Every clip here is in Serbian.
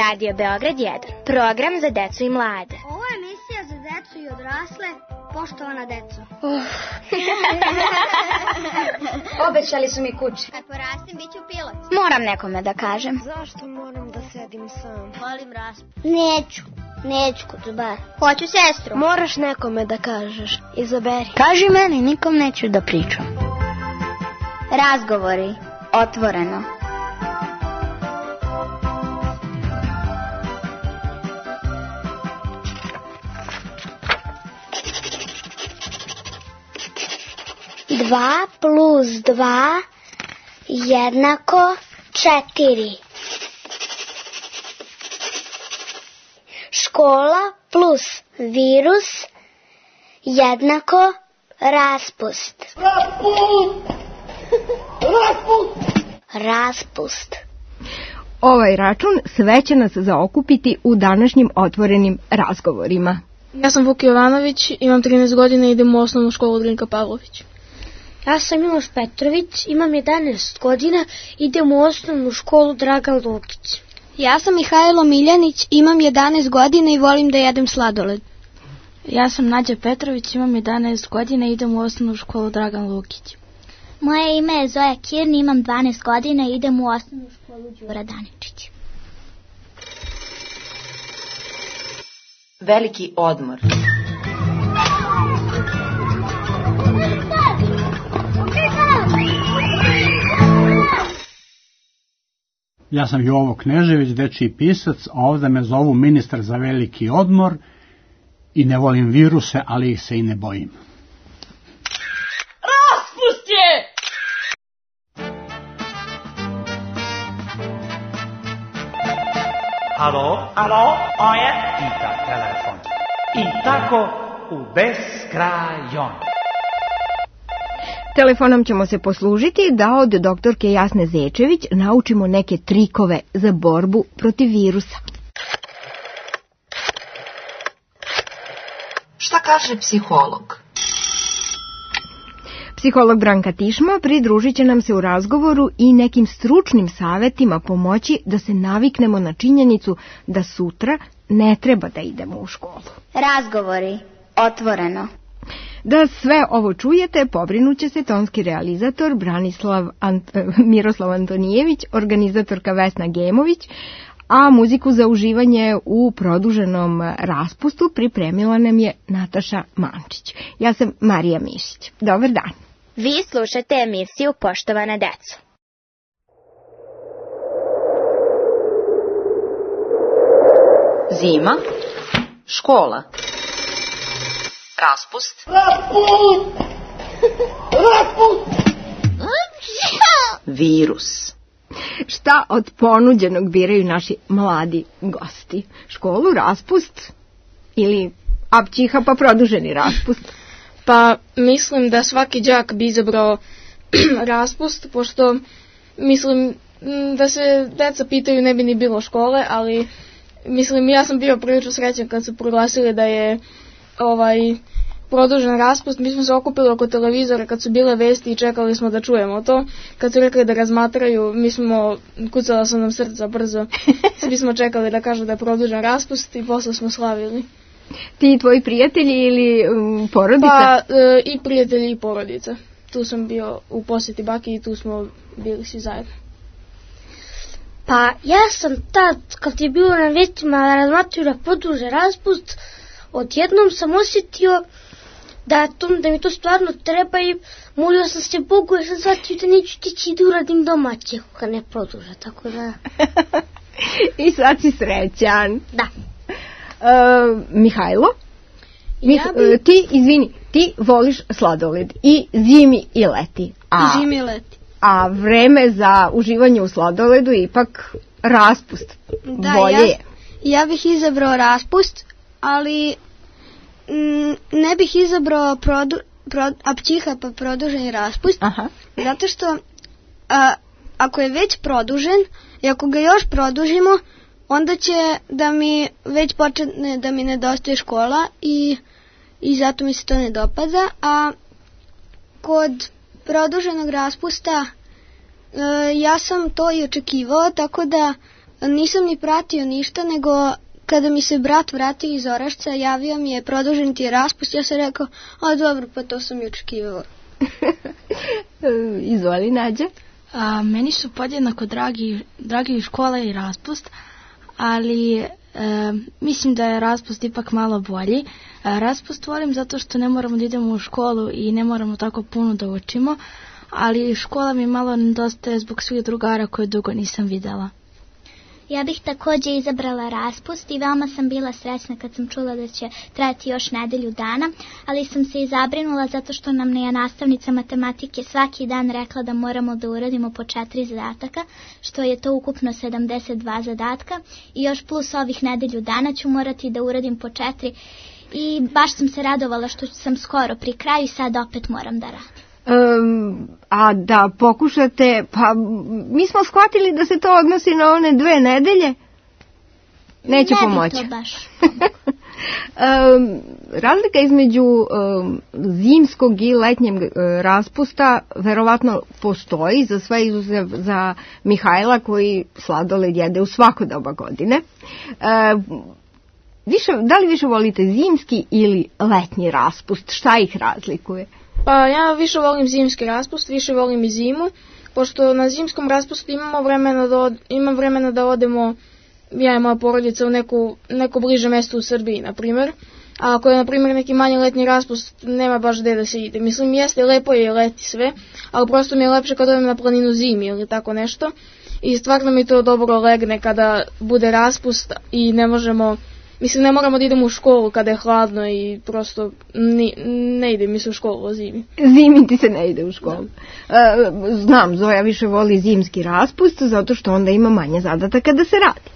Radio Beograd 1, program za decu i mlade. Ovo je emisija za decu i odrasle, poštovana deco. Obećali su mi kuće. Kad porastim, bit ću pilot. Moram nekome da kažem. Zašto moram da sedim sam? Volim raspust. Neću kod bar. Hoću sestru. Moraš nekome da kažeš. Izaberi. Kaži meni, nikom neću da pričam. Razgovori, otvoreno. Dva plus 2 jednako 4. Škola plus virus jednako raspust. Raspust. Ovaj račun sve će nas zaokupiti u današnjim otvorenim razgovorima. Ja sam Vuk Jovanović, imam 13 godina i idem u osnovnu školu Drinka Pavlović. Ja sam Miloš Petrović, imam 11 godina, idem u osnovnu školu Dragan Lukić. Ja sam Mihajlo Miljanić, imam 11 godina i volim da jedem sladoled. Ja sam Nađa Petrović, imam 11 godina i idem u osnovnu školu Dragan Lukić. Moje ime je Zoja Kirni, imam 12 godina i idem u osnovnu školu Đura Daničić. Veliki odmor. Ja sam Jovo Knežević, dečiji pisac, a ovdje me zovu ministar za veliki odmor i ne volim viruse, ali ih se i ne bojim. Raspust je! Alo, ovo je Ita telefon. I tako u beskrajon. Telefonom ćemo se poslužiti da od doktorke Jasne Zečević naučimo neke trikove za borbu protiv virusa. Šta kaže psiholog? Psiholog Branka Tišma pridružit će nam se u razgovoru i nekim stručnim savjetima pomoći da se naviknemo na činjenicu da sutra ne treba da idemo u školu. Razgovori, otvoreno. Da sve ovo čujete, pobrinuće se tonski realizator Miroslav Antonijević, organizatorka Vesna Gemović, a muziku za uživanje u produženom raspustu pripremila nam je Nataša Mančić. Ja sam Marija Mišić. Dobar dan. Vi slušate emisiju Poštovana deco. Zima, škola, raspust, virus. Šta od ponuđenog biraju naši mladi gosti? Školu, raspust ili apćiha pa produženi raspust? Pa mislim da svaki đak bi izabrao raspust, pošto mislim da se deca pitaju ne bi ni bilo škole, ali mislim ja sam bio prilično srećan kad su proglasili da je produžen raspust. Mi smo se okupili oko televizora kad su bile vesti i čekali smo da čujemo to. Kad su rekli da razmatraju, kucala su nam srca brzo. Svi smo čekali da kažu da je produžen raspust i posle smo slavili. Ti i tvoji prijatelji ili porodica? Pa i prijatelji i porodica. Tu sam bio u posjeti baki i tu smo bili svi zajedno. Pa ja sam tad, kad je bilo na vestima razmatraju da produže raspust, odjednom sam osjetio da mi to stvarno treba i molio sam se Bogu jer sam shvatio da neću tići da uradim domaće kad ne produža, tako da... I sad si srećan. Da. Mihajlo, ti voliš sladoled i zimi i leti. Zimi i leti. A vreme za uživanje u sladoledu je ipak raspust. Bolje. Ja bih izabrao raspust, ali ne bih izabrao apćiha pa produženi raspust. Aha. Zato što ako je već produžen i ako ga još produžimo, onda će da mi već počne da mi nedostaje škola i zato mi se to ne dopada. A kod produženog raspusta ja sam to i očekivao, tako da nisam ni pratio ništa, nego kada mi se brat vratio iz Orašca, javio mi je produžen ti je raspust, ja sam rekao, a dobro, pa to sam i očekivao. Izvoli, Nađa. Meni su podjednako dragi škola i raspust, ali mislim da je raspust ipak malo bolji. Raspust volim zato što ne moramo da idemo u školu i ne moramo tako puno da učimo, ali škola mi malo nedostaje zbog svih drugara koje dugo nisam videla. Ja bih također izabrala raspust i veoma sam bila srećna kad sam čula da će trajati još nedelju dana, ali sam se i zabrinula zato što nam je nastavnica matematike svaki dan rekla da moramo da uradimo po 4 zadataka, što je to ukupno 72 zadatka i još plus ovih nedelju dana ću morati da uradim po 4 i baš sam se radovala što sam skoro pri kraju i sad opet moram da radim. A da pokušate, pa mi smo shvatili da se to odnosi na one 2 nedelje. Neće pomoći. Ne bi to baš. Razlika između zimskog i letnjeg raspusta verovatno postoji, za sve izuzev za Mihajla koji sladoled jede u svako doba godine. Da li više volite zimski ili letnji raspust? Šta ih razlikuje? Pa ja više volim zimski raspust, više volim i zimu, pošto na zimskom raspustu imam vremena da odemo, ja i moja porodica, u neko bliže mesto u Srbiji, na primjer. A ako je, na primjer, neki manji letnji raspust, nema baš gde da se ide. Mislim, jeste, lepo je leti sve, ali prosto mi je lepše kad odem na planinu zimi ili tako nešto. I stvarno mi to dobro legne kada bude raspust i ne moramo da idemo u školu kada je hladno i prosto ne ide mi se u školu o zimi. Zimi ti se ne ide u školu. Znam, Zoja više voli zimski raspust zato što onda ima manje zadataka da se radi.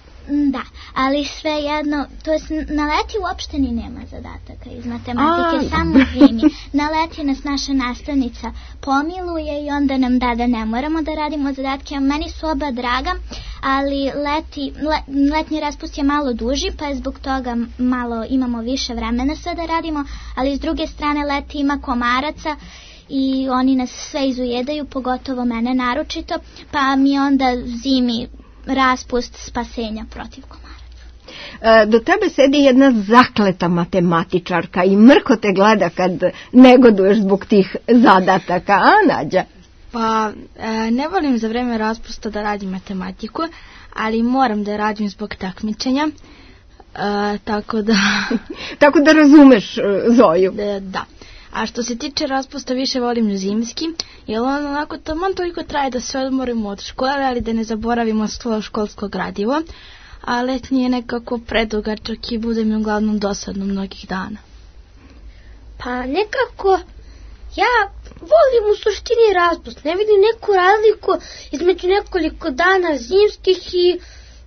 Da, ali svejedno, to jest na leti uopšte ni nema zadataka iz matematike, samo zimi. Na leti nas naša nastavnica pomiluje i onda nam da ne moramo da radimo zadatke, a meni su oba draga, ali letnji raspust je malo duži, pa je zbog toga malo imamo više vremena sve da radimo, ali s druge strane leti ima komaraca i oni nas sve izujedaju, pogotovo mene naročito, pa mi onda zimi raspust spasenja protiv komaraca. Do tebe sedi jedna zakleta matematičarka i mrko te gleda kad negoduješ zbog tih zadataka, a Nađa? Pa ne volim za vreme raspusta da radim matematiku, ali moram da radim zbog takmičenja, tako da... Tako da razumeš Zoju. Da. A što se tiče raspusta, više volim zimski, jer on onako taman toliko traje da se odmorimo od škole, ali da ne zaboravimo školsko gradivo, a letnji je nekako predugačak i bude mi uglavnom dosadno mnogih dana. Pa nekako, ja volim u suštini raspust, ne vidim neku razliku između nekoliko dana zimskih i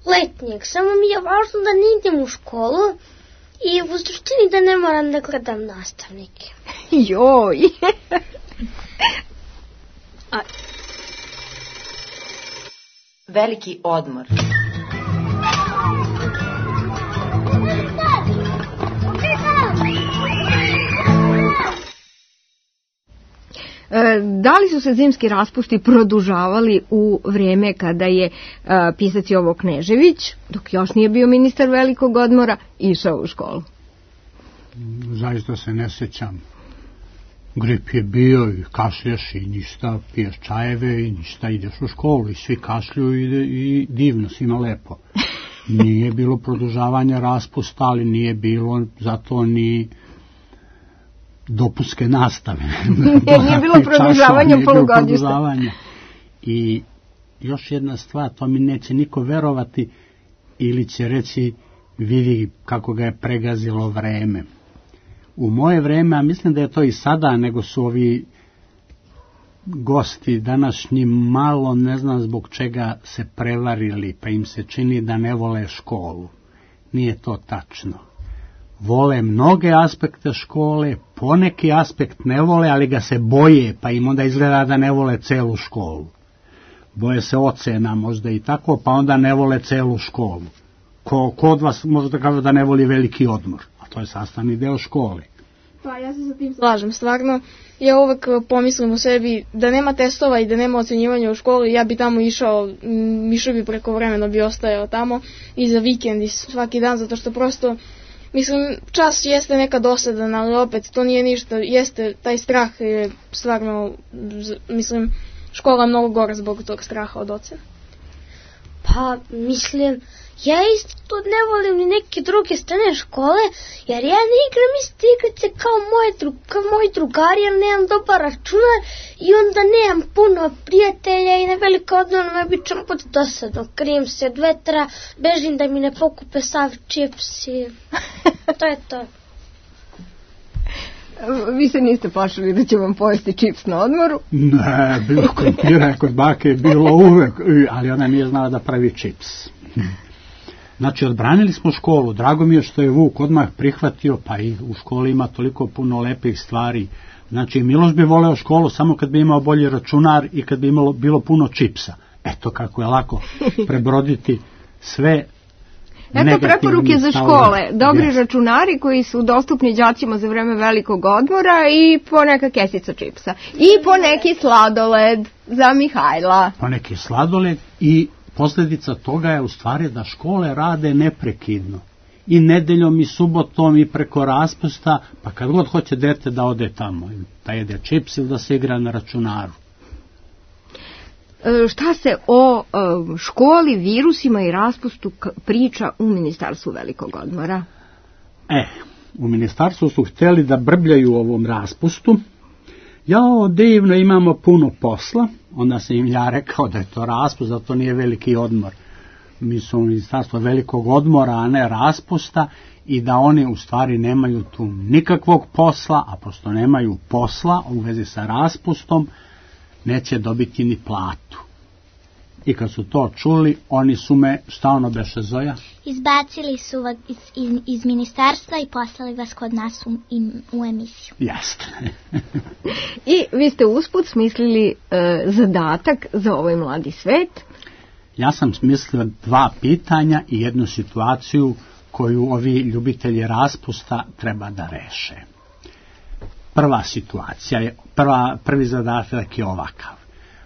letnjeg, samo mi je važno da ne idem u školu, i u suštini da ne moram da gledam nastavnike. Joj! Veliki odmor. Da li su se zimski raspusti produžavali u vrijeme kada je pisac Jovo Knežević, dok još nije bio ministar velikog odmora, išao u školu? Zaista se ne sjećam. Grip je bio i kašlješ i ništa, piješ čajeve i ništa, ideš u školu i svi kašlju i divno, svima lepo. Nije bilo produžavanja raspusta, ali nije bilo zato ni dopunske nastave. Nije bilo produžavanja polugodišta. I još jedna stvar, to mi neće niko verovati ili će reći vidi kako ga je pregazilo vreme. U moje vreme, a mislim da je to i sada, nego su ovi gosti današnji malo, ne znam zbog čega, se prevarili, pa im se čini da ne vole školu. Nije to tačno. Vole mnoge aspekte škole, poneki aspekt ne vole, ali ga se boje, pa im onda izgleda da ne vole celu školu. Boje se ocena možda i tako, pa onda ne vole celu školu. Ko od vas možda kaže da ne voli veliki odmor, a to je sastavni deo škole. Pa ja se sa tim slažem, stvarno. Ja uvek pomislim o sebi da nema testova i da nema ocenjivanja u školi, ja bi tamo išao bi prekovremeno bi ostajao tamo i za vikend i svaki dan, zato što prosto, mislim, čas jeste neka dosadan, ali opet to nije ništa, jeste taj strah je stvarno, mislim, škola je mnogo gora zbog tog straha od ocena. Pa, mislim, ja isto ne volim ni neke druge strane škole, jer ja ne igram iste igrice kao moji drugari, jer nemam dobar računar i onda nemam puno prijatelja i na veliko odmah me obično pod dosadno. Krijem se od vetra, bežim da mi ne pokupe sav čips i to je to. Vi se niste plašili da će vam pojesti čips na odmoru? Ne, bilo krompira kod bake je bilo uvek, ali ona nije znala da pravi čips. Znači, odbranili smo školu, drago mi je što je Vuk odmah prihvatio, pa i u školi ima toliko puno lepih stvari. Znači, Miloš bi voleo školu samo kad bi imao bolji računar i kad bi bilo puno čipsa. Eto kako je lako prebroditi sve. Eto preporuke za škole, dobri računari koji su dostupni đacima za vreme velikog odmora i po neka kesica čipsa. I po neki sladoled za Mihajla. Po neki sladoled i posljedica toga je u stvari da škole rade neprekidno. I nedeljom i subotom i preko raspusta, pa kad god hoće dete da ode tamo, da jede čips ili da se igra na računaru. Šta se o školi, virusima i raspustu priča u Ministarstvu velikog odmora? U Ministarstvu su htjeli da brbljaju o ovom raspustu. Jao, divno, imamo puno posla. Onda sam im ja rekao da je to raspust, da to nije veliki odmor. Mi smo u Ministarstvu velikog odmora, a ne raspusta, i da oni u stvari nemaju tu nikakvog posla, a pošto nemaju posla u vezi sa raspustom, neće dobiti ni platu. I kad su to čuli, oni su me, šta ono beše, Zoja? Izbacili su vas iz ministarstva i poslali vas kod nas u emisiju. Jeste. I vi ste usput smislili zadatak za ovaj mladi svet? Ja sam smislila 2 pitanja i jednu situaciju koju ovi ljubitelji raspusta treba da reše. Prva situacija je, prvi zadatak je ovakav.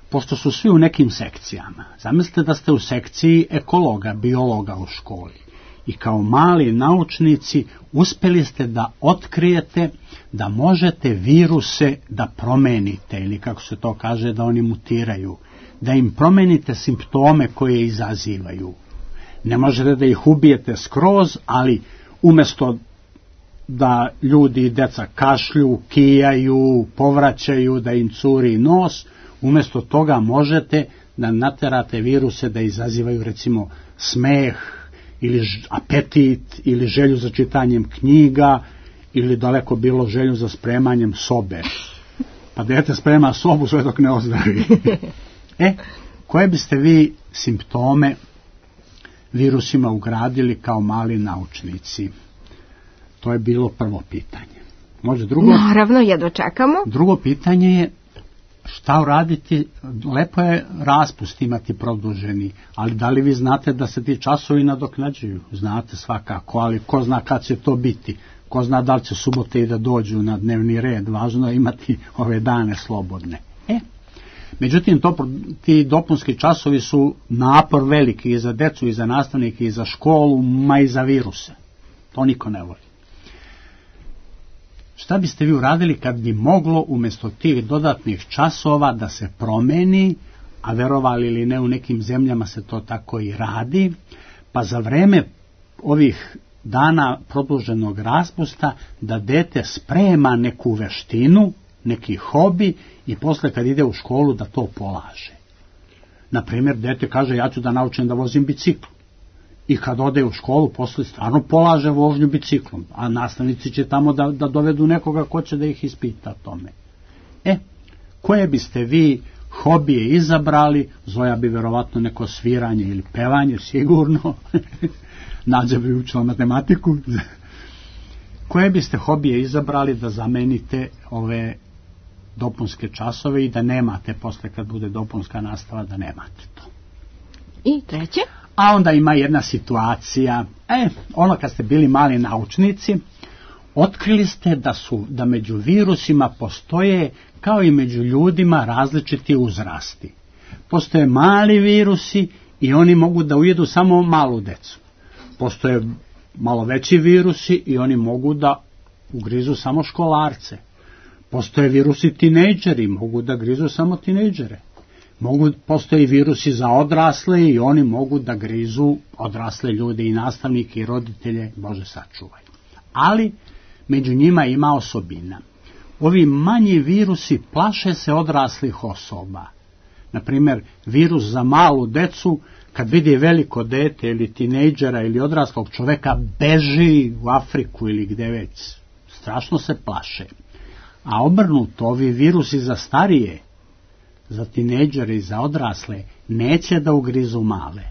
Pošto su svi u nekim sekcijama, zamislite da ste u sekciji ekologa, biologa u školi i kao mali naučnici uspjeli ste da otkrijete da možete viruse da promenite, ili kako se to kaže, da oni mutiraju, da im promenite simptome koje izazivaju. Ne možete da ih ubijete skroz, ali umjesto da ljudi i deca kašlju, kijaju, povraćaju, da im curi nos, umjesto toga možete da naterate viruse da izazivaju recimo smeh ili apetit ili želju za čitanjem knjiga ili daleko bilo želju za spremanjem sobe. Pa dete sprema sobu sve dok ne ozdravi. Koje biste vi simptome virusima ugradili kao mali naučnici? To je bilo prvo pitanje. Može drugo? Naravno, jedva čekamo. Drugo pitanje je šta uraditi, lepo je raspust imati produženi, ali da li vi znate da se ti časovi nadoknađuju? Znate svakako, ali ko zna kad će to biti? Ko zna da li će subote i da dođu na dnevni red? Važno je imati ove dane slobodne. Međutim, ti dopunski časovi su napor veliki i za decu, i za nastavnike, i za školu, ma i za viruse. To niko ne voli. Šta biste vi uradili kad bi moglo umjesto tih dodatnih časova da se promeni, a verovali ili ne, u nekim zemljama se to tako i radi, pa za vreme ovih dana produženog raspusta da dete sprema neku veštinu, neki hobi i posle kad ide u školu da to polaže. Naprimjer, dete kaže ja ću da naučim da vozim bicikl. I kad ode u školu, posle stvarno polaže vožnju biciklom, a nastavnici će tamo da dovedu nekoga ko će da ih ispita o tome. Koje biste vi hobije izabrali? Zoja bi verovatno neko sviranje ili pevanje, sigurno. Nađa bi učila matematiku. Koje biste hobije izabrali da zamenite ove dopunske časove i da nemate posle kad bude dopunska nastava, da nemate to? I treće? A onda ima jedna situacija, ono kad ste bili mali naučnici, Otkrili ste da među virusima postoje, kao i među ljudima, različiti uzrasti. Postoje mali virusi i oni mogu da ujedu samo malu decu. Postoje malo veći virusi i oni mogu da ugrizu samo školarce. Postoje virusi tinejdžeri, mogu da grizu samo tinejdžere. Postoje virusi za odrasle i oni mogu da grizu odrasle ljude i nastavnike i roditelje, Bože sačuvaj. Ali među njima ima osobina. Ovi manji virusi plaše se odraslih osoba. Naprimjer, virus za malu decu, kad vidi veliko dete ili tinejdžera ili odraslog čoveka, beži u Afriku ili gde već. Strašno se plaše. A obrnuto, ovi virusi za starije, za tinejdžere i za odrasle, neće da ugrizu male.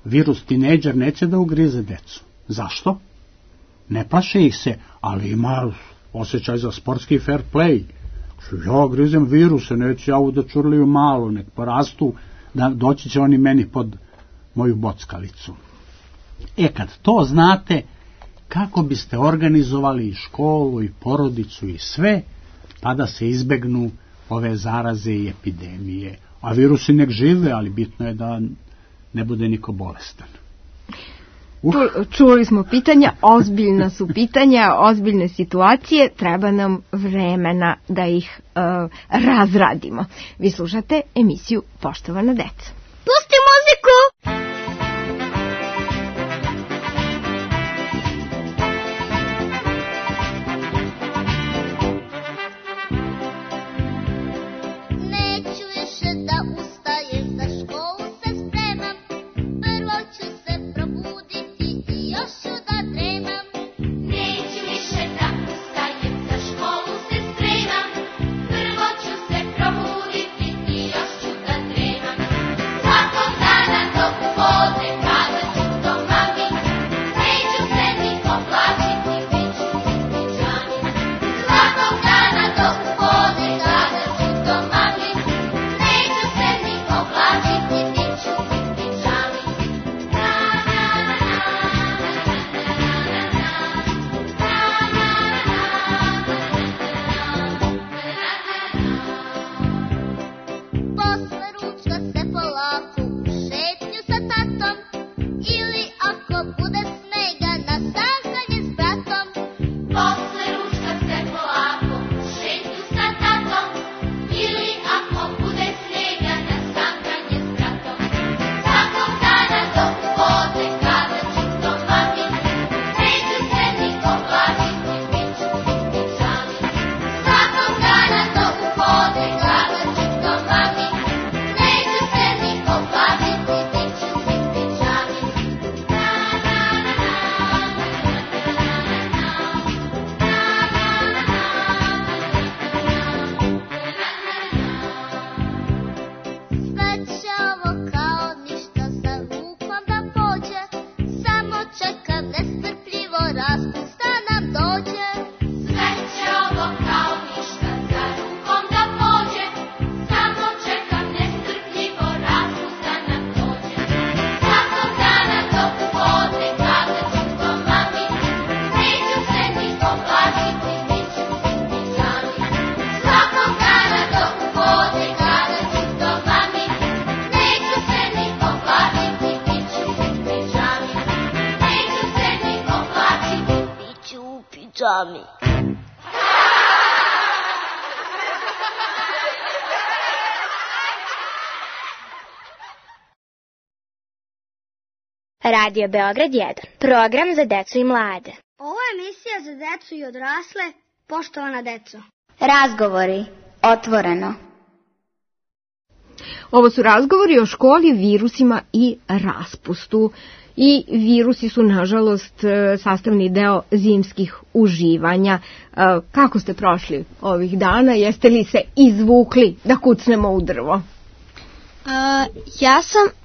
Virus tinejdžer neće da ugrize decu. Zašto? Ne plaše ih se, ali ima osjećaj za sportski fair play. Ja grizem viruse, neću ja da čurliju malo, nek porastu, da doći će oni meni pod moju bockalicu. Kad to znate, kako biste organizovali i školu i porodicu i sve, pa da se izbegnu ove zaraze i epidemije. A virusi nek žive, ali bitno je da ne bude niko bolestan. Čuli smo pitanja, ozbiljna su pitanja, ozbiljne situacije, treba nam vremena da ih razradimo. Vi slušate emisiju Poštovana deca. Pusti muziku! Tommy. Radio Beograd 1. Program za decu i mlade. Ovo je emisija za decu i odrasle, poštovana deco. Razgovori. Otvoreno. Ovo su razgovori o školi, virusima i raspustu. I virusi su, nažalost, sastavni deo zimskih uživanja. Kako ste prošli ovih dana? Jeste li se izvukli da kucnemo u drvo?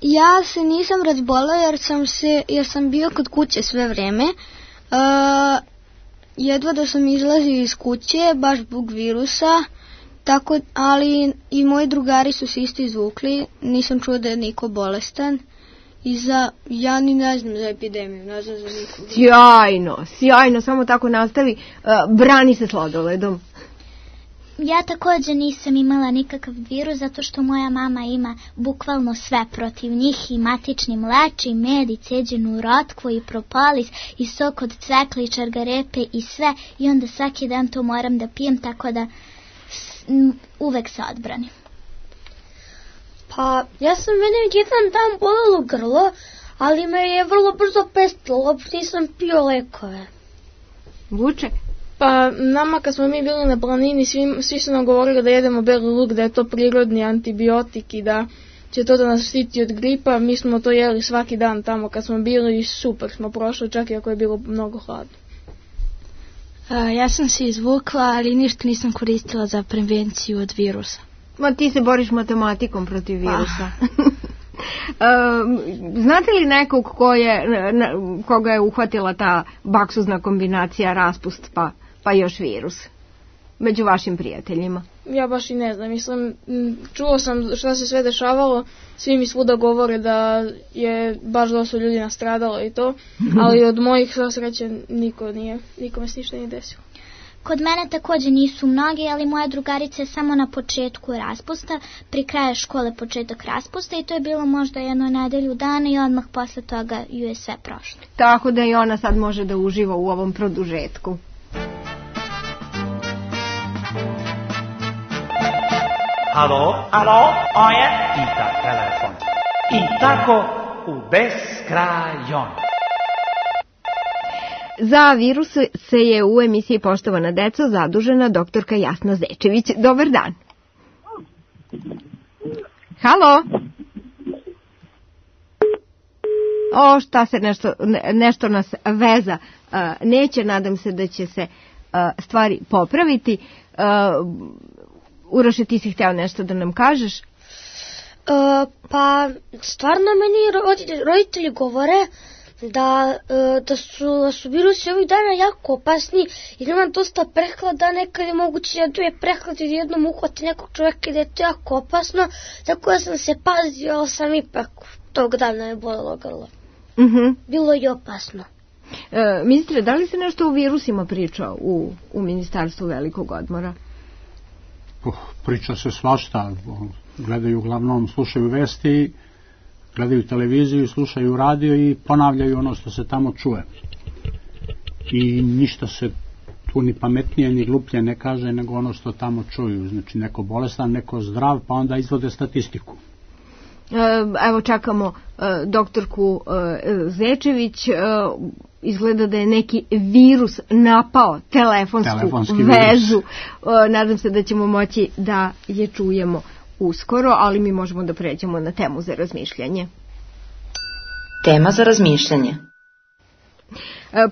Ja se nisam razbolao jer sam bio kod kuće sve vreme. Jedva da sam izlazio iz kuće, baš zbog virusa, ali i moji drugari su se isto izvukli, nisam čuo da je niko bolestan ja ni ne znam za epidemiju, ne znam za nikog. Sjajno, samo tako nastavi. Brani se sladoledom. Ja također nisam imala nikakav virus zato što moja mama ima bukvalno sve protiv njih, i matični mleč, i med, i ceđenu rotkvu, i propolis, i sok od cvekla, i čargarepe, i sve, i onda svaki dan to moram da pijem, tako da uvek se odbranim. Pa, mene jedan dan bolelo grlo, ali me je vrlo brzo pestilo, uopšte nisam pio lekove. Vuče? Pa, nama kad smo mi bili na planini, svi su nam govorili da jedemo beli luk, da je to prirodni antibiotik i da će to da nas štiti od gripa. Mi smo to jeli svaki dan tamo kad smo bili i super smo prošli, čak i ako je bilo mnogo hladno. Ja sam se izvukla, ali ništa nisam koristila za prevenciju od virusa. Ma ti se boriš matematikom protiv virusa. Znate li nekog koga je uhvatila ta baksuzna kombinacija raspust pa još virus među vašim prijateljima? Ja baš i ne znam, mislim, čuo sam šta se sve dešavalo, svi mi svuda govore da je baš dosta ljudi nastradalo i to, ali od mojih sreće nikome se ništa nije desilo. Kod mene također nisu mnogi, ali moja drugarica je samo na početku raspusta, pri kraju škole početak raspusta, i to je bilo možda jedno nedelju dana i odmah posle toga ju je sve prošlo. Tako da i ona sad može da uživa u ovom produžetku. Alo, oje, pita telefon. I tako u beskrajon. Za virus se je u emisiji Poštovana deco zadužena doktorka Jasna Zečević. Dobar dan. Halo? Šta se nešto nas veza neće, nadam se da će se stvari popraviti. Uroše, ti si hteo nešto da nam kažeš? Pa, stvarno meni roditelji govore da su virusi ovih dana jako opasni i da ima dosta prehlada, nekad je moguće da je prehlad i jednom uhvati nekog čovjeka i da je to jako opasno, tako da sam se pazio, ali sam ipak tog dana je bolelo grlo. Bilo je opasno. Ministre, da li se nešto o virusima priča u Ministarstvu velikog odmora? Priča se svašta, gledaju uglavnom, slušaju vesti, gledaju televiziju, slušaju radio i ponavljaju ono što se tamo čuje. I ništa se tu ni pametnije ni gluplje ne kaže nego ono što tamo čuju. Znači neko bolestan, neko zdrav, pa onda izvode statistiku. Evo čekamo doktorku Zečević. Izgleda da je neki virus napao telefonsku vezu. Nadam se da ćemo moći da je čujemo uskoro, ali mi možemo da pređemo na temu za razmišljanje. Tema za razmišljanje.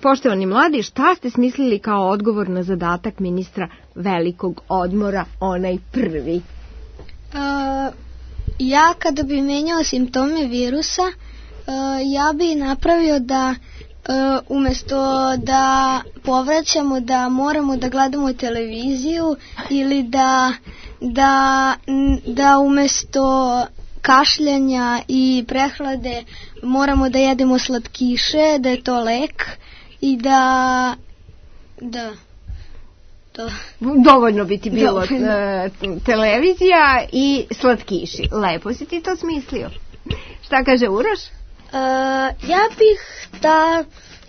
Poštovani mladi, šta ste smislili kao odgovor na zadatak ministra velikog odmora, onaj prvi? Ja kada bi menjao simptome virusa, ja bi napravio da umjesto da povraćamo da moramo da gledamo televiziju ili da umjesto kašljanja i prehlade moramo da jedemo slatkiše, da je to lek i da dovoljno bi ti bilo televizija i slatkiši. Lepo si ti to smislio. Šta kaže Uroš?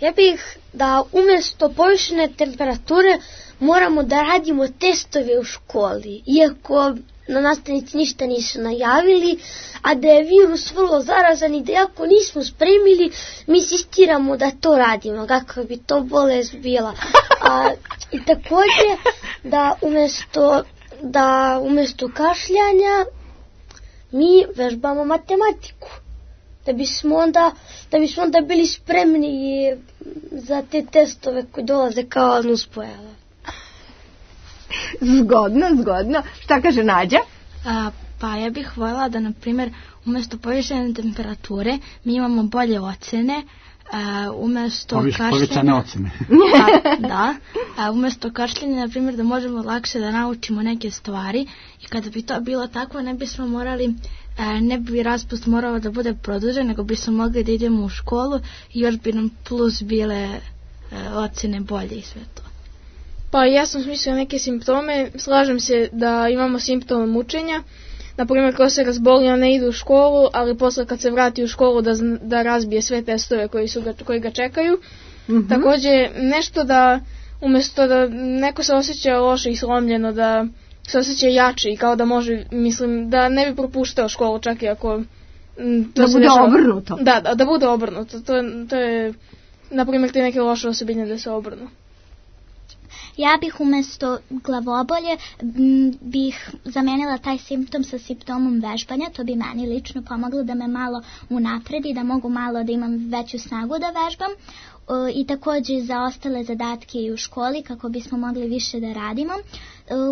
Ja bih da umjesto povišene temperature moramo da radimo testove u školi, iako na nastavnici ništa nisu najavili, a da je virus vrlo zarazan i da ako nismo spremili, mi insistiramo da to radimo, kakva bi to bolest bila. I također da umjesto kašljanja mi vežbamo matematiku. Da bismo onda bili spremni za te testove koji dolaze kao nuspojava. Zgodno. Šta kaže Nađa? Pa ja bih voljela da, na primjer, umjesto povišene temperature mi imamo bolje ocene, umjesto kašljenja ocene. Umjesto kašljenja, na primjer, da možemo lakše da naučimo neke stvari i kada bi to bilo tako, ne bismo morali ne bi raspust morao da bude produžen, nego bismo mogli da idemo u školu i još bi nam plus bile ocene bolje i sve to. Pa ja sam smislila neke simptome, slažem se da imamo simptome mučenja, naprimjer ko se razboli, on ne ide u školu, ali posle kad se vrati u školu da razbije sve testove koji ga čekaju. Također nešto da umjesto da neko se osjeća loše i slomljeno, da se osjeća jači i kao da može, mislim, da ne bi propuštao školu čak i ako da bude obrnuto. Da bude obrnuto. To je, naprimjer, te neke loše osobine da se obrnu. Ja bih umjesto glavobolje bih zamenila taj simptom sa simptomom vežbanja, to bi meni lično pomoglo da me malo unapredi, da mogu malo da imam veću snagu da vežbam i također za ostale zadatke i u školi kako bismo mogli više da radimo.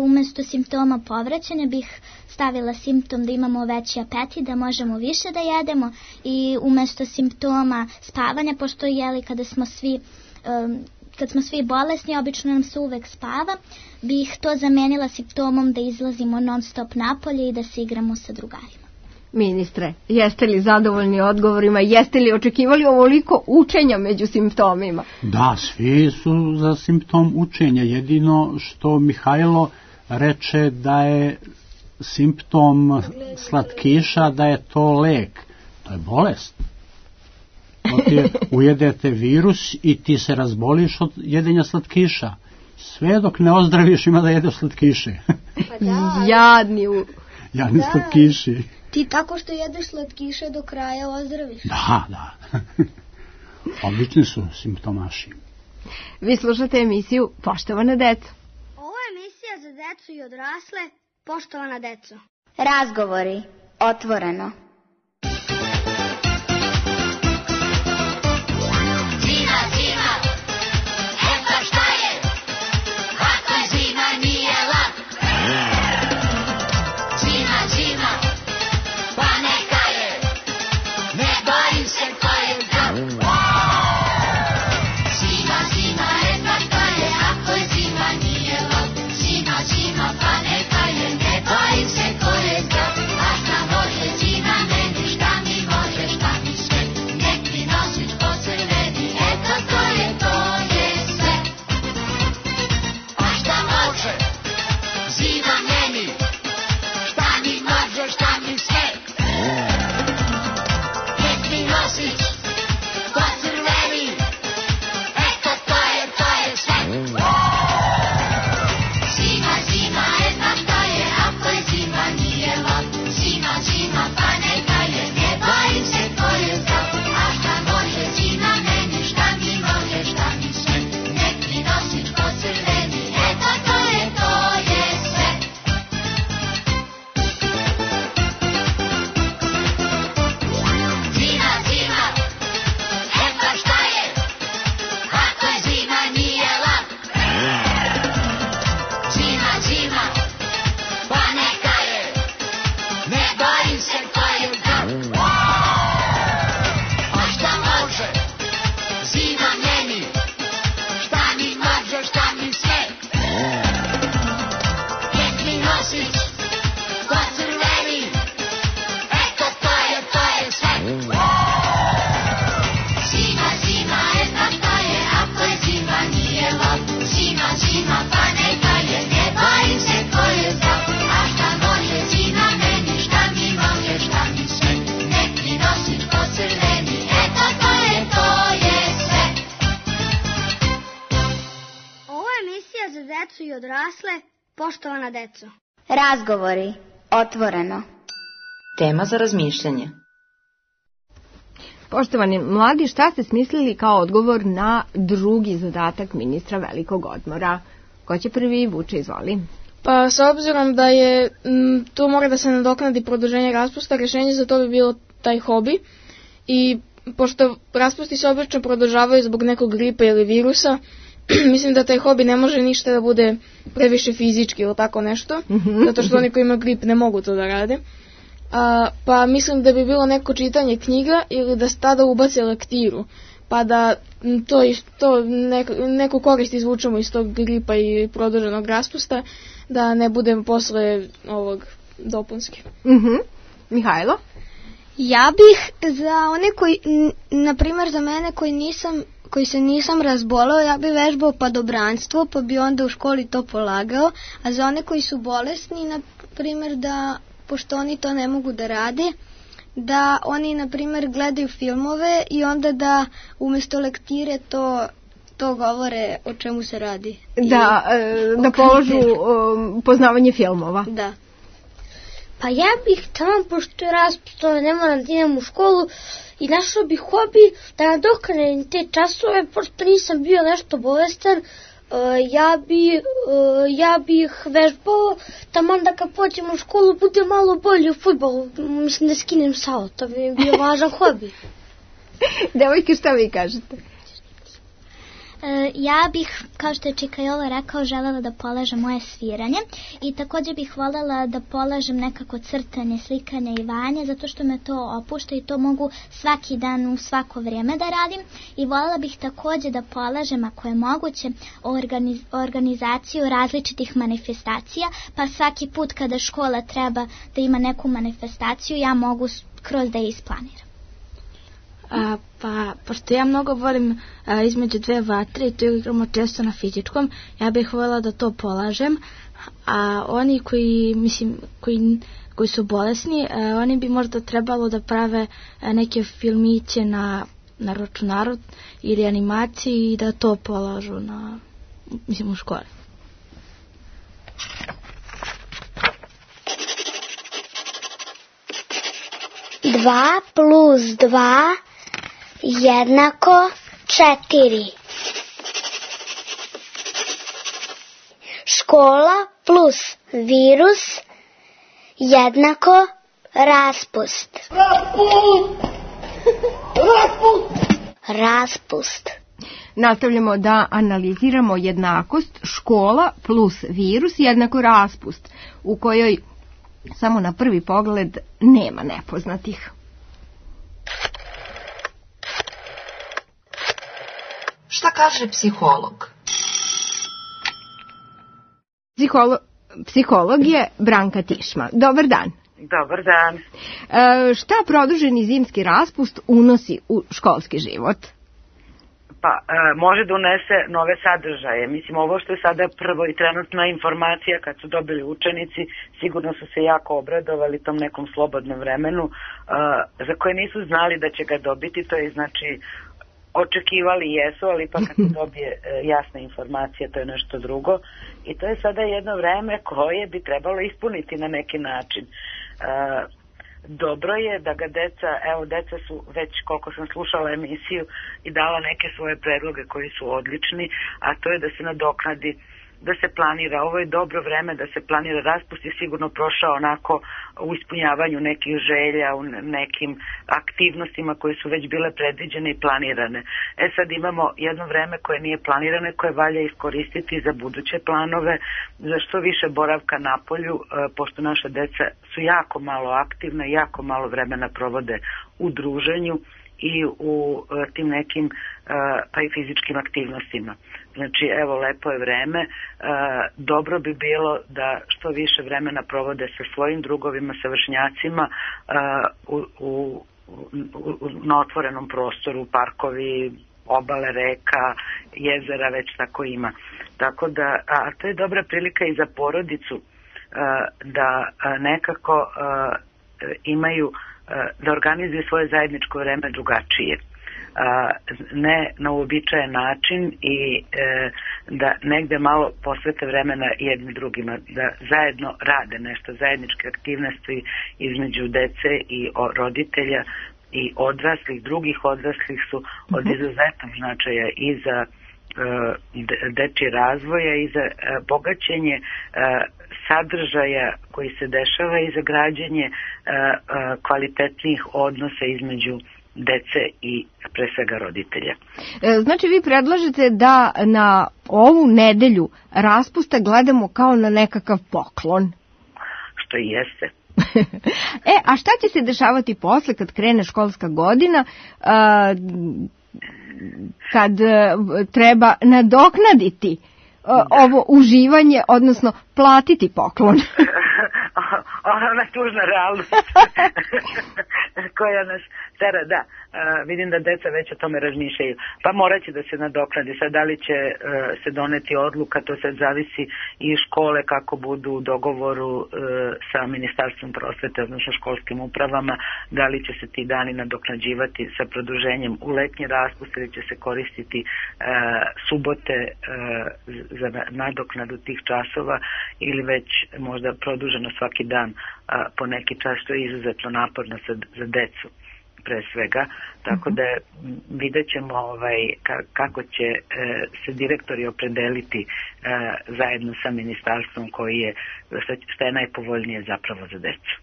Umjesto simptoma povraćanja bih stavila simptom da imamo veći apetit, da možemo više da jedemo i umjesto simptoma spavanja, pošto kad smo svi bolesni, obično nam se uvek spava, bih to zamenila simptomom da izlazimo non stop napolje i da se igramo sa drugarima. Ministre, jeste li zadovoljni odgovorima? Jeste li očekivali ovoliko učenja među simptomima? Da, svi su za simptom učenja. Jedino što Mihajlo reče da je simptom slatkiša, da je to lek. To je bolest. Ujedete virus i ti se razboliš od jedenja slatkiša. Sve dok ne ozdraviš ima da jedeš slatkiše. Jadni slatkiši. Ti tako što jedeš slatkiše do kraja ozdraviš. Da. Obični su simptomaši. Vi slušate emisiju Poštovana deco. Ovo je emisija za decu i odrasle. Poštovana deco. Razgovori. Otvoreno. Poštovana deco. Razgovori. Otvoreno. Tema za razmišljanje. Poštovani mladi, šta ste smislili kao odgovor na drugi zadatak ministra velikog odmora? Ko će prvi? Vuče, izvoli. Pa s obzirom da je tu mora da se nadoknadi produženje raspusta, rješenje za to bi bilo taj hobi. I pošto raspusti se obično produžavaju zbog nekog gripa ili virusa, mislim da taj hobi ne može ništa da bude previše fizički ili tako nešto, zato što oni koji imaju grip ne mogu to da rade. Pa mislim da bi bilo neko čitanje knjiga ili da se tada ubace lektiru, pa da neku korist izvučemo iz tog gripa i produženog raspusta, da ne budem posle ovog dopunski. Mihajlo? Ja bih za one koji, na primjer za mene koji se nisam razbolao, ja bi vežbao padobranstvo, pa bi onda u školi to polagao, a za one koji su bolesni, na primjer da, pošto oni to ne mogu da rade, da oni, na primjer, gledaju filmove i onda da umjesto lektire to govore o čemu se radi. Da položu poznavanje filmova. Da. Pa ja bih tamo, pošto je raspust, ne moram da idem u školu, i našao bih hobi da nadoknadim te časove, pošto nisam bio nešto bolestan. Ja bih vežbao, tamo da kad pođem u školu bude malo bolje u fudbalu, mislim da skinem salo, to bi bio važan hobi. Devojke, šta vi kažete? Ja bih, kao što je Čika Jola rekao, želela da polažem moje sviranje i također bih voljela da polažem nekako crtanje, slikanje i vajanje, zato što me to opušta i to mogu svaki dan u svako vrijeme da radim, i voljela bih također da polažem, ako je moguće, organizaciju različitih manifestacija, pa svaki put kada škola treba da ima neku manifestaciju, ja mogu kroz da je isplaniram. Pa, pošto ja mnogo volim između dve vatre i to igramo često na fizičkom, ja bih voljela da to polažem, a oni koji su bolesni, oni bi možda trebalo da prave neke filmiće na računaru ili animaciji i da to polažu u školi. Dva plus 2 jednako 4. Škola plus virus jednako raspust. Raspust. Nastavljamo da analiziramo jednakost škola plus virus jednako raspust, u kojoj samo na prvi pogled nema nepoznatih. Šta kaže psiholog? Psiholog je Branka Tišma. Dobar dan. Dobar dan. Šta produženi zimski raspust unosi u školski život? Pa, može da unese nove sadržaje. Mislim, ovo što je sada prvo i trenutna informacija kad su dobili učenici, sigurno su se jako obradovali tom nekom slobodnom vremenu, za koje nisu znali da će ga dobiti, to je znači očekivali jesu, ali ipak kad se dobije jasna informacija, to je nešto drugo. I to je sada jedno vreme koje bi trebalo ispuniti na neki način. Dobro je da ga deca su već, koliko sam slušala emisiju, i dala neke svoje predloge koji su odlični, a to je da se nadoknadi, da se planira. Ovo je dobro vreme da se planira. Raspust je sigurno prošao onako u ispunjavanju nekih želja, u nekim aktivnostima koje su već bile predviđene i planirane. Sad imamo jedno vreme koje nije planirane, koje valja iskoristiti za buduće planove, za što više boravka na polju, pošto naša deca su jako malo aktivna i jako malo vremena provode u druženju i u tim nekim pa i fizičkim aktivnostima. Znači, evo, lepo je vreme, dobro bi bilo da što više vremena provode sa svojim drugovima, sa vršnjacima na otvorenom prostoru, parkovi, obale reka, jezera, već tako ima. Tako da, a to je dobra prilika i za porodicu da nekako imaju, da organizuju svoje zajedničko vreme drugačije. Ne na uobičajen način i da negde malo posvete vremena jednim drugima, da zajedno rade nešto, zajedničke aktivnosti između dece i roditelja i odraslih, drugih odraslih su od izuzetnog značaja i za dečji razvoja i za bogaćenje sadržaja koji se dešava i za građenje kvalitetnih odnosa između dece i pre svega roditelja. Znači vi predlažete da na ovu nedelju raspusta gledamo kao na nekakav poklon? Što i jeste. A šta će se dešavati posle kad krene školska godina, kad treba nadoknaditi ovo uživanje, odnosno platiti poklon? ona tužna realnost koja nas tera, da. Vidim da deca već o tome razmišljaju. Pa morat će da se nadoknadi. Sad da li će se doneti odluka, to sad zavisi i škole kako budu u dogovoru sa Ministarstvom prosvete, odnosno školskim upravama, da li će se ti dani nadoknađivati sa produženjem u letnji raspust ili će se koristiti subote za nadoknadu tih časova ili već možda produženo svaki dan po neki čas, što je izuzetno naporno za decu pre svega, tako da vidjet ćemo kako će se direktori opredeliti zajedno sa ministarstvom koji je, šta je najpovoljnije zapravo za decu.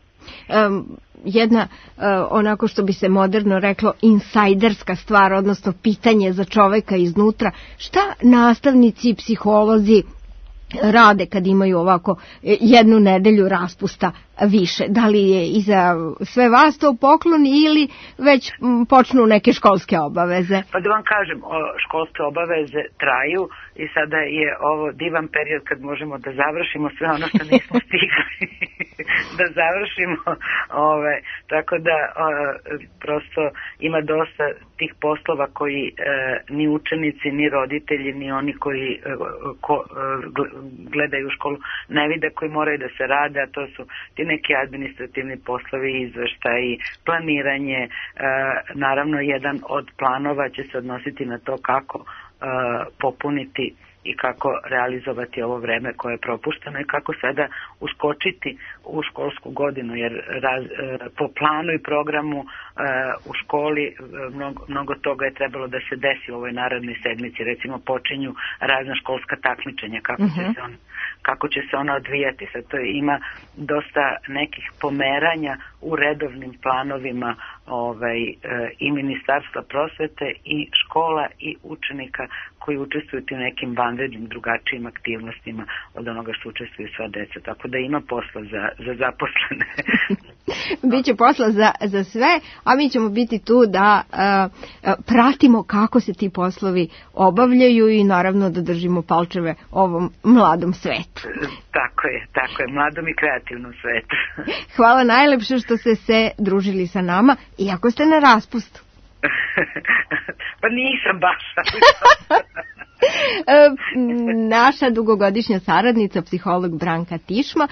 Jedna, onako što bi se moderno reklo, insajderska stvar, odnosno pitanje za čoveka iznutra, šta nastavnici i psiholozi rade kad imaju ovako jednu nedelju raspusta više? Da li je i za sve vas to poklon ili već počnu neke školske obaveze? Pa da vam kažem, školske obaveze traju i sada je ovo divan period kad možemo da završimo sve ono što nismo stigli da završimo. Tako da prosto ima dosta tih poslova koji ni učenici, ni roditelji, ni oni koji gledaju školu ne vide, koji moraju da se rade, a to su ti neki administrativni poslovi, izveštaji, planiranje. Naravno, jedan od planova će se odnositi na to kako popuniti i kako realizovati ovo vreme koje je propušteno i kako sada uskočiti u školsku godinu, jer po planu i programu u školi mnogo toga je trebalo da se desi u ovoj narednoj sedmici. Recimo počinju razna školska takmičenja, kako će se ona odvijati. Sad to ima dosta nekih pomeranja u redovnim planovima i Ministarstva prosvete i škola i učenika koji učestvuju u nekim vanrednim drugačijim aktivnostima od onoga što učestvuju sva deca. Tako da ima posla za zaposlene. Biće posla za sve, a mi ćemo biti tu da pratimo kako se ti poslovi obavljaju i naravno da držimo palčeve ovom mladom svetu. Tako je, mladom i kreativnom svetu. Hvala najlepše što ste se družili sa nama, iako ste na raspustu. Pa nisam baš. Naša dugogodišnja saradnica, psiholog Branka Tišma,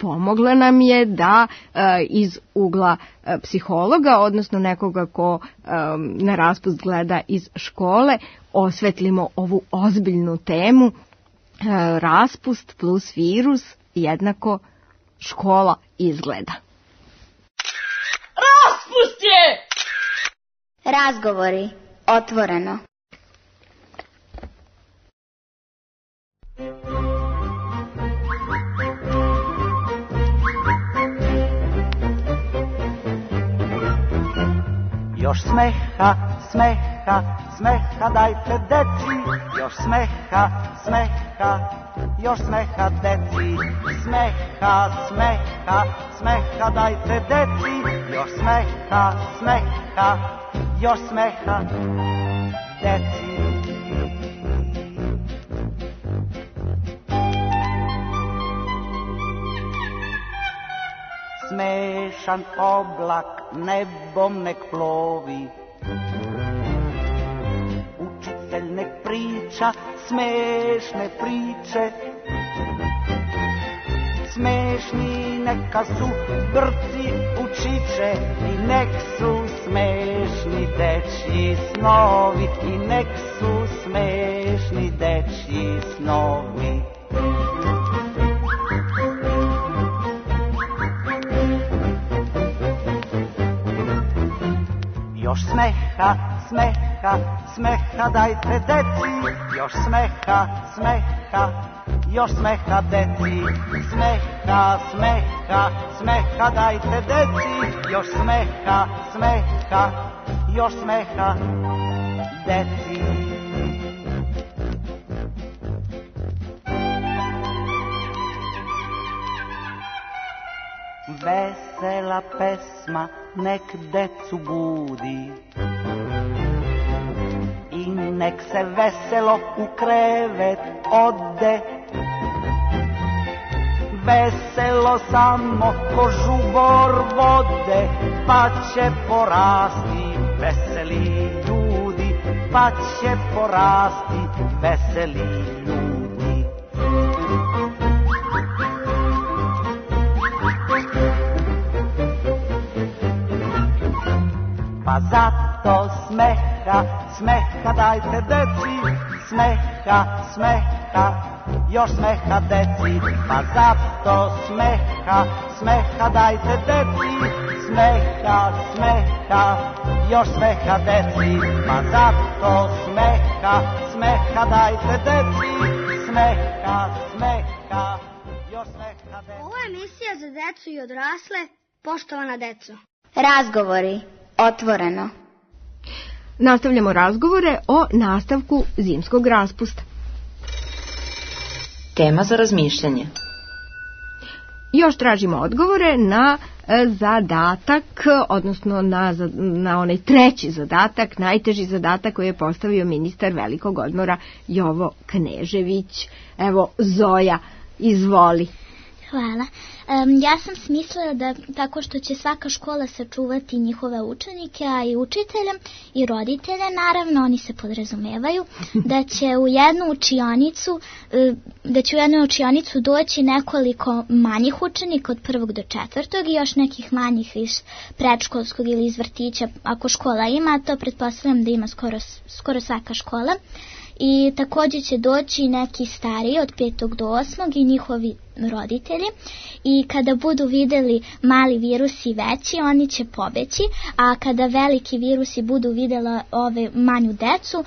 pomogla nam je da iz ugla psihologa, odnosno nekoga ko na raspust gleda iz škole, osvetlimo ovu ozbiljnu temu. Raspust plus virus jednako škola izgleda. Raspust je! Razgovori otvoreno. Još smeha, smeha, smeha dajte deci, još smeha, smeha, još smeha deci, smeha, smeha, smeha dajte deci, još smeha, smeha, još smeha deci. Smešan oblak nebom nek plovi, učitelj nek priča smešne priče, smešni neka su brci učiće i nek su smešni dečji snovi, i nek su smešni dečji snovi. Još smeha, smeha, smeha dajte deci, još smeha, smeha, još smeha deci, smeha, smeha, smeha dajte deci, još smeha, smeha, još smeha deci. Vesela pesma nek decu budi i nek se veselo u krevet ode. veselo samo ko žubor vode, pa će porasti veseli ljudi, pa će porasti veseli ljudi. Pa zato smeha, smeha dajte deci, smeha, smeha, još smeha deci. Pa zato smeha, smeha dajte deci, smeha, smeha, još smeha deci. Pa zato smeha, smeha dajte deci, smeha, smeha, još smeha deci. Ovo je emisija za decu i odrasle, poštovana deco. Razgovori, otvoreno. Nastavljamo razgovore o nastavku zimskog raspusta. Tema za razmišljanje. Još tražimo odgovore na zadatak, odnosno na onaj treći zadatak, najteži zadatak koji je postavio ministar velikog odmora Jovo Knežević. Evo, Zoja, izvoli. Hvala. Ja sam smislila da tako što će svaka škola sačuvati njihove učenike, a i učitelje i roditelje, naravno, oni se podrazumevaju, da će u jednu učionicu doći nekoliko manjih učenika od 1. do 4. i još nekih manjih iz predškolskog ili iz vrtića, ako škola ima, to pretpostavljam da ima skoro svaka škola. I također će doći neki stariji od 5. do 8. i njihovi roditelji, i kada budu videli mali virusi veći, oni će pobeći, a kada veliki virusi budu videla ove manju decu,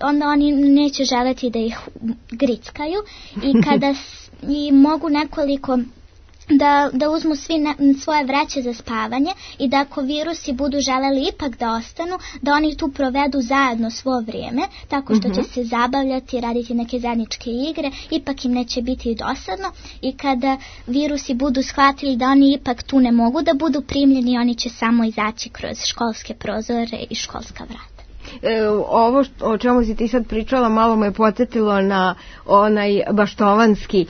onda oni neće želeti da ih grickaju, i kada i mogu nekoliko da uzmu svi svoje vreće za spavanje, i da ako virusi budu želeli ipak da ostanu, da oni tu provedu zajedno svo vrijeme, tako što će se zabavljati, raditi neke zajedničke igre, ipak im neće biti dosadno, i kada virusi budu shvatili da oni ipak tu ne mogu da budu primljeni, oni će samo izaći kroz školske prozore i školska vrata. Ovo o čemu si ti sad pričala malo me podsjetilo na onaj baštovanski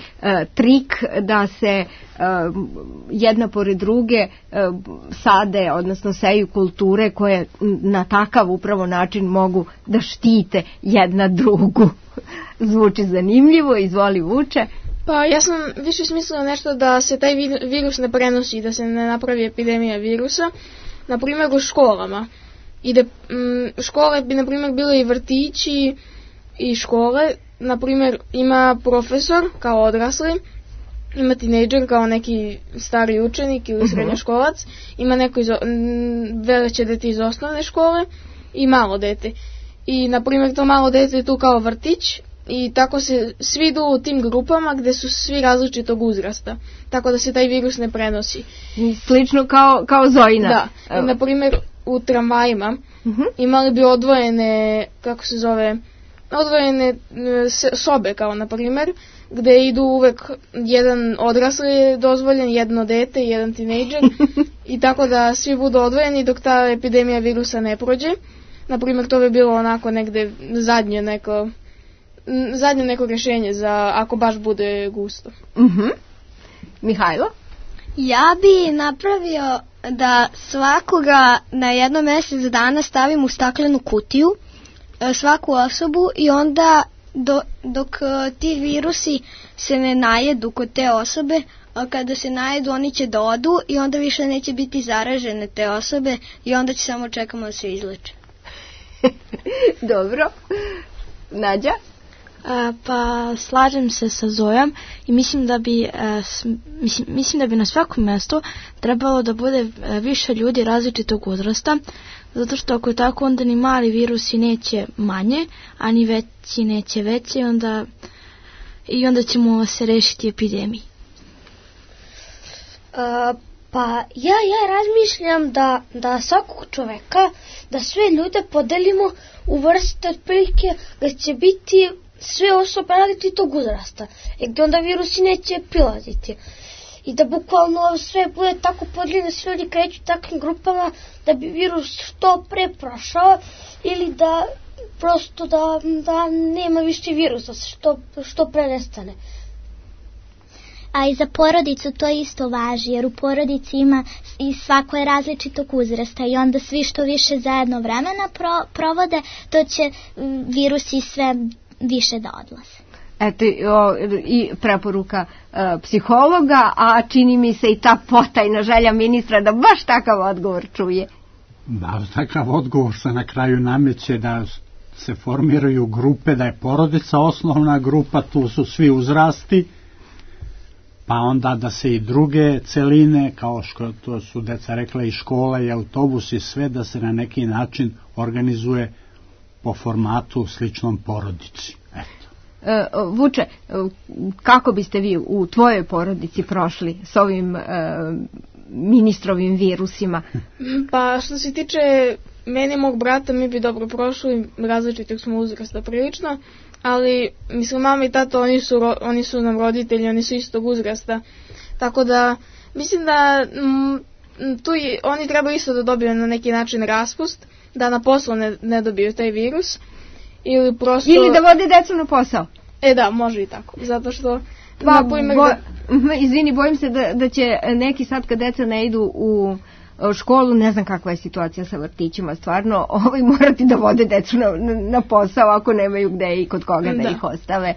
trik da se jedna pored druge sade, odnosno seju kulture koje na takav upravo način mogu da štite jedna drugu. Zvuči zanimljivo, izvoli Vuče. Pa ja sam više smislila nešto da se taj virus ne prenosi, da se ne napravi epidemija virusa, na primjer u školama. I da škole bi, na primjer, bile i vrtići i škole. Na primjer, ima profesor kao odrasli, ima tinejdžer kao neki stari učenik ili srednjoškolac, ima neko veće dete iz osnovne škole i malo dete. I, na primjer, to malo dete je tu kao vrtić, i tako se svi idu u tim grupama gdje su svi različitog uzrasta, tako da se taj virus ne prenosi. Slično kao Zojina. Da, i, na primjer, u tramvajima imali bi odvojene, odvojene sobe, kao na primjer, gdje idu uvek jedan odrasli dozvoljen, jedno dete i jedan tinejdžer, i tako da svi budu odvojeni dok ta epidemija virusa ne prođe. Na primjer, to bi bilo onako negdje zadnje neko rješenje za ako baš bude gusto. Mihajlo? Ja bi napravio da svakoga na jedno mjesec dana stavim u staklenu kutiju, svaku osobu, i onda dok ti virusi se ne najedu kod te osobe, a kada se najedu oni će da odu i onda više neće biti zaražene te osobe i onda će samo čekamo da se izleče. Dobro. Nađa? Pa slažem se sa Zojom i mislim da bi na svakom mjestu trebalo da bude više ljudi različitog uzrasta, zato što ako je tako onda ni mali virusi neće manje, a ni veći neće veće, i onda ćemo se rešiti epidemiji. Pa ja razmišljam da svakog čoveka, da sve ljude podelimo u vrste otprilike da će biti sve osobe različitog uzrasta, gdje onda virusi neće prilaziti. I da bukvalno sve bude tako podeljeno, sve ljudi kreću takvim grupama da bi virus što pre prošao, ili da prosto da nema više virusa, što pre nestane. a i za porodicu to isto važi, jer u porodici ima i svako je različitog uzrasta i onda svi što više zajedno vremena provode, to će virusi sve više da odlaze. Eto i preporuka psihologa, a čini mi se i ta potajna želja ministra da baš takav odgovor čuje. Da, takav odgovor se na kraju nameće da se formiraju grupe, da je porodica osnovna grupa, tu su svi uzrasti, pa onda da se i druge celine, kao što to su deca rekla, i škola i autobus i sve, da se na neki način organizuje po formatu sličnom porodici. Eto. Vuče, kako biste vi u tvojoj porodici prošli s ovim ministrovim virusima? Pa što se tiče mene i mog brata, mi bi dobro prošli, različitog smo uzrasta prilično, ali mislim mama i tata, oni su nam roditelji, oni su istog uzrasta, tako da mislim da tu oni treba isto da dobiju na neki način raspust, da na poslu ne dobiju taj virus, ili da vode decu na posao. Da, može i tako, zato što izvini, bojim se da će neki sad kad deca ne idu u školu, ne znam kakva je situacija sa vrtićima, stvarno morati da vode decu na posao ako nemaju gde i kod koga da ih ostave.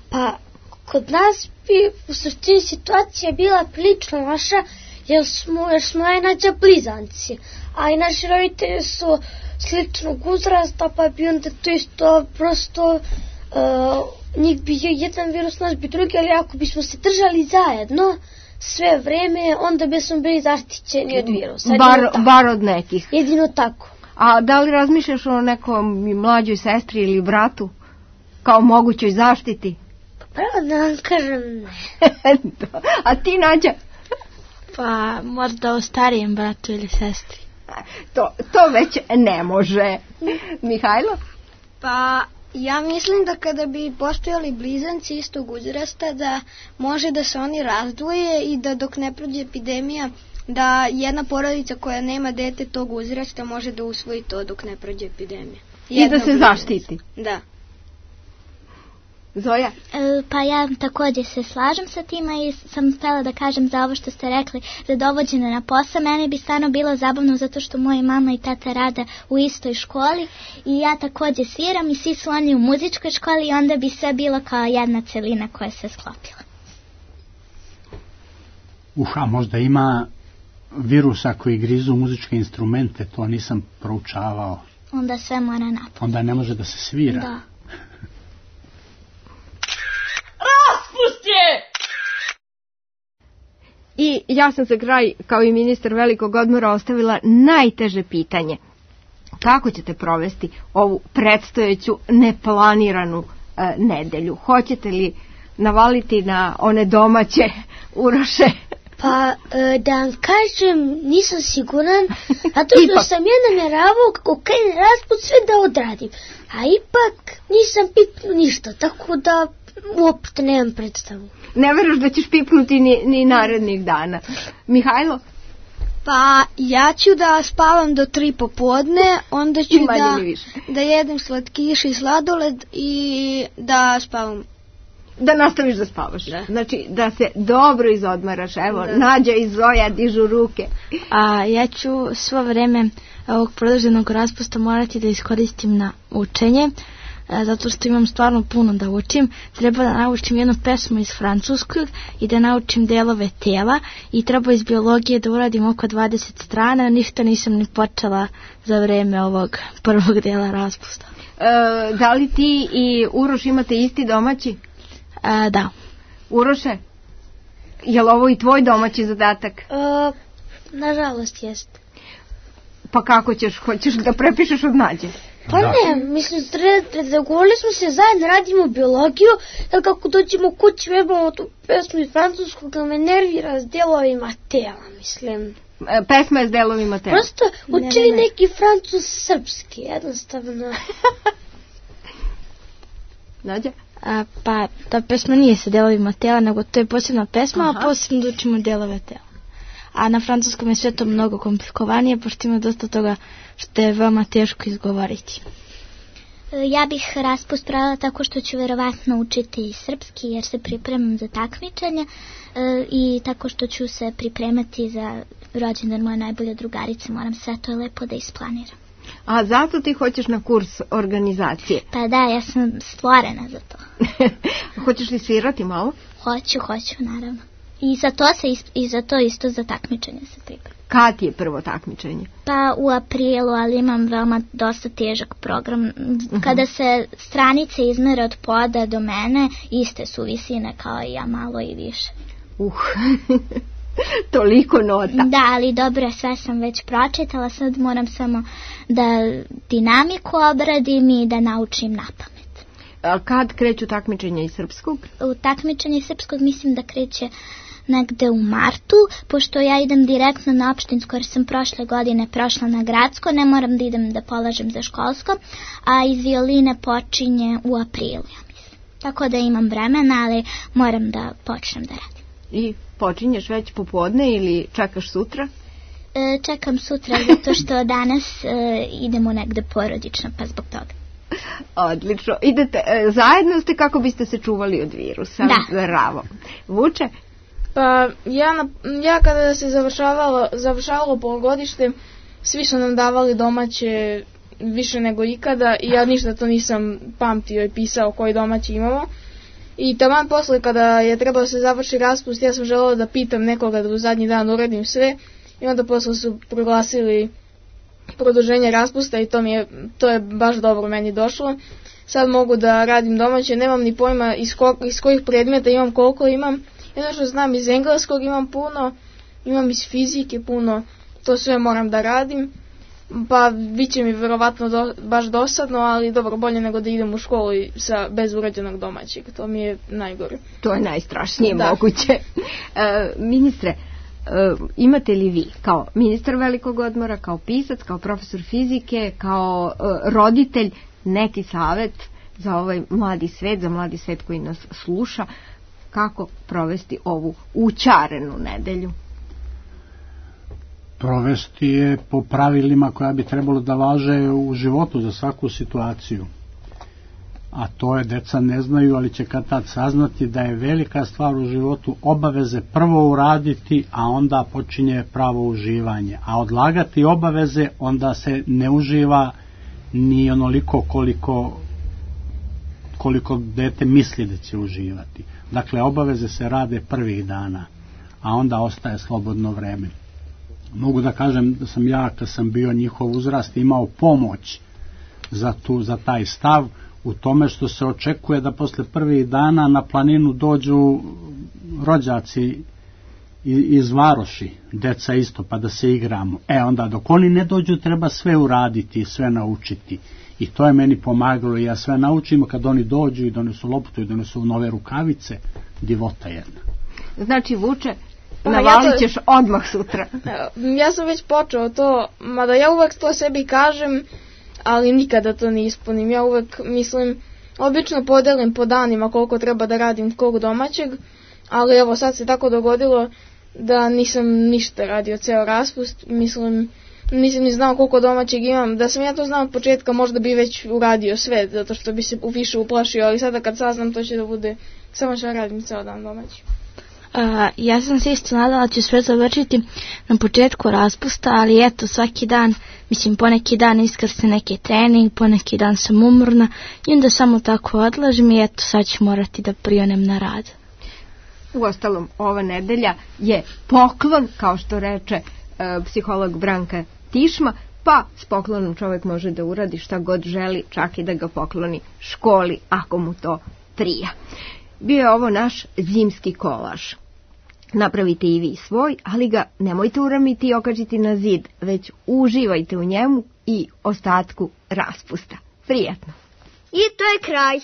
Pa kod nas bi u suštini situacija bila prilično naša, jer smo najnađa blizanci, a i naši roditelji su sličnog uzrasta, pa bi onda to isto prosto njih bi jedan virus, naš bi drugi, ali ako bismo se držali zajedno sve vreme, onda bismo bili zaštićeni od virusa. Bar od nekih. Jedino tako. A da li razmišljaš o nekom mlađoj sestri ili bratu kao mogućoj zaštiti? Pravo da vam kažem ne. A ti, Nađa? Pa možda o starijem bratu ili sestri. To već ne može. Mihajlo? Pa ja mislim da kada bi postojali blizanci istog uzrasta, da može da se oni razdvoje i da dok ne prođe epidemija, da jedna porodica koja nema dete tog uzrasta može da usvoji to dok ne prođe epidemija. I da se zaštiti. Da. Zoja? Pa ja također se slažem sa tima i sam htjela da kažem za ovo što ste rekli, za dovođenje na posao. Meni bi stvarno bilo zabavno zato što moja mama i tata rade u istoj školi i ja također sviram i svi su oni u muzičkoj školi i onda bi sve bilo kao jedna celina koja se sklopila. A možda ima virusa koji grizu muzičke instrumente, to nisam proučavao. Onda sve mora napad. Onda ne može da se svira. Da. Raspust je! I ja sam za kraj, kao i ministar velikog odmora, ostavila najteže pitanje. Kako ćete provesti ovu predstojeću neplaniranu nedelju? Hoćete li navaliti na one domaće Uroše? Pa da vam kažem, nisam siguran, zato što sam ja namjeravao kako krene raspust sve da odradim, a ipak nisam pipnuo ništa, tako da uopšte nemam predstavu. Ne veruš da ćeš pipnuti ni narednih dana. Mihajlo? Pa ja ću da spavam do 3 popodne, onda ću da jedem slatkiš i sladoled i da spavam. Da nastaviš da spavaš. Da. Znači da se dobro izodmaraš. Evo, da. Nađa i Zoja dižu ruke. A ja ću svo vreme ovog produženog raspusta morati da iskoristim na učenje, zato što imam stvarno puno da učim. Treba da naučim jednu pesmu iz francuskog i da naučim delove tela i treba iz biologije da uradim oko 20 strana. Ništa nisam ni počela za vreme ovog prvog dela raspusta. Da li ti i Uroš imate isti domaći? Da. Uroše, je li ovo i tvoj domaći zadatak? Nažalost jest. Pa kako ćeš? Hoćeš da prepišeš od Nađe? Pa ne, mislim, dogovorili smo se zajedno, radimo biologiju, jer kako dođemo kući, vežbamo tu pesmu iz francuskog, me nervira s delovima tela, mislim. Pesma je s delovima tela? Prosto učili neki francus-srpski, jednostavno. Nađe? Pa ta pesma nije sa delovima tela, nego to je posebna pesma, a posebno da učimo delove tela. A na francuskom je sve to mnogo komplikovanije, pošto ima dosta toga što je veoma teško izgovoriti. Ja bih raspust pravila tako što ću verovatno učiti srpski jer se pripremam za takmičenje i tako što ću se pripremati za rođendan moje najbolje drugarice, moram sve to lepo da isplaniram. A zato ti hoćeš na kurs organizacije? Pa da, ja sam stvorena za to. Hoćeš li svirati malo? Hoću, naravno. I za to isto za takmičenje se pripremam. Kad je prvo takmičenje? Pa u aprilu, ali imam veoma dosta težak program. Kada se stranice izmere od poda do mene, iste su visine kao i ja, malo i više. Toliko nota. Da, ali dobro, sve sam već pročitala, sad moram samo da dinamiku obradim i da naučim napamet. A kad kreću takmičenja iz srpskog? U takmičenje iz srpskog mislim da kreće negde u martu, pošto ja idem direktno na opštinsko jer sam prošle godine prošla na gradsko, ne moram da idem da polažem za školsko, a iz violine počinje u aprilu, ja mislim. Tako da imam vremena, ali moram da počnem da radim. I počinješ već popodne ili čekaš sutra? Čekam sutra zato što danas idemo negde porodično, pa zbog toga. Odlično. Idete, zajedno ste kako biste se čuvali od virusa? Da. Bravo. Vuče? Pa ja kada se završavalo polugodište, svi su nam davali domaće više nego ikada i ja ništa to nisam pamtio i pisao koji domaći imamo. I taman posle kada je trebalo da se završi raspust, ja sam želela da pitam nekoga da u zadnji dan uradim sve i onda posle su proglasili produženje raspusta i to je baš dobro meni došlo. Sad mogu da radim domaće, nemam ni pojma iz kojih predmeta imam, koliko imam. Jedno što znam, iz engleskog imam puno, imam iz fizike puno, to sve moram da radim. Pa bit će mi verovatno baš dosadno, ali dobro, bolje nego da idem u školu bez urađenog domaćeg, to mi je najgore. To je najstrašnije moguće. Ministre, imate li vi kao ministar velikog odmora, kao pisac, kao profesor fizike, kao roditelj neki savet za ovaj mladi svet, za mladi svet koji nas sluša, kako provesti ovu učarenu nedelju? Provesti je po pravilima koja bi trebalo da važe u životu za svaku situaciju. A to je, deca ne znaju, ali će kad tad saznati da je velika stvar u životu obaveze prvo uraditi, a onda počinje pravo uživanje. A odlagati obaveze, onda se ne uživa ni onoliko koliko dete misli da će uživati. Dakle, obaveze se rade prvih dana, a onda ostaje slobodno vreme. Mogu da kažem da sam ja, kad sam bio njihov uzrast, imao pomoć za taj stav u tome što se očekuje da posle prvih dana na planinu dođu rođaci iz varoši, deca isto, pa da se igramo. Onda dok oni ne dođu treba sve uraditi, sve naučiti. I to je meni pomagalo i ja sve naučim, kad oni dođu i donesu loptu i donesu nove rukavice, divota jedna. Znači, Vuče, navalit ćeš odmah sutra. Ja sam već počeo to, mada ja uvek to sebi kažem, ali nikada to ne ispunim. Ja uvek mislim, obično podelim po danima koliko treba da radim kog domaćeg, ali evo sad se tako dogodilo da nisam ništa radio ceo raspust, mislim, nisam ni znao koliko domaćeg imam. Da sam ja to znao od početka, možda bi već uradio sve, zato što bi se više uplašio, ali sada kad saznam to će da bude samo što radim ceo dan domaći. Ja sam se isto nadala da ću sve završiti na početku raspusta, ali eto, svaki dan, mislim, poneki dan iskrsne neki trening, poneki dan sam umorna i onda samo tako odlažem i eto, sad ću morati da prionem na rad. Uostalom, ova nedelja je poklon, kao što reče psiholog Branka Tišma, pa s poklonom čovjek može da uradi šta god želi, čak i da ga pokloni školi, ako mu to prija. Bio je ovo naš zimski kolaž. Napravite i vi svoj, ali ga nemojte uramiti i okačiti na zid, već uživajte u njemu i ostatku raspusta. Prijatno! I to je kraj.